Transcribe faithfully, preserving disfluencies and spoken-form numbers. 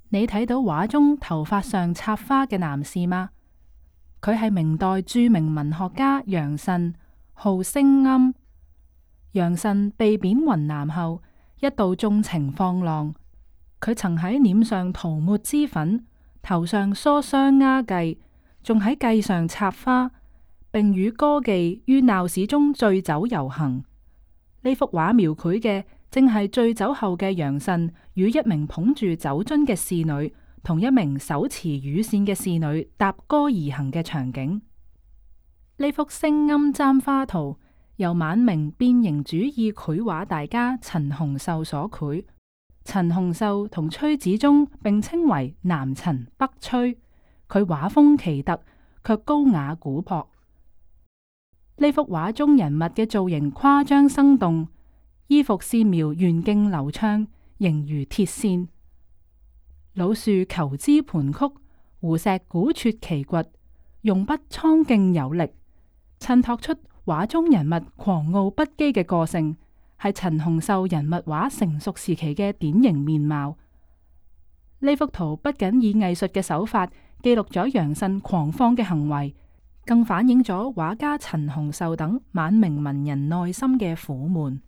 你睇到畫中頭髮上插花嘅男士嗎？佢係明代著名文學家楊慎，號聲庵。楊慎被貶雲南後，一度縱情放浪。佢曾喺臉上塗抹脂粉，頭上梳雙鴉髻，仲喺髻上插花，並與歌妓於鬧市中醉酒遊行。呢幅畫描繪嘅正係醉酒後嘅楊慎與一名捧住酒樽嘅侍女，同一名手持羽扇嘅侍女搭歌而行嘅場景。呢幅聲庵簪花圖由晚明變形主義繪畫大家陳洪繡所繪。陳洪繡同崔子忠並稱為南陳北崔，佢畫風奇特，卻高雅古樸。呢幅畫中人物嘅造型誇張生動，衣服線描圓勁流暢，形如鐵線。老樹求枝盤曲，湖石古拙奇掘，用筆蒼勁有力，襯托出畫中人物狂傲不羈嘅個性，係陳洪繡人物畫成熟時期嘅典型面貌。呢幅圖不僅以藝術嘅手法記錄咗楊慎狂放嘅行為，更反映咗畫家陳洪繡等晚明文人內心嘅苦悶。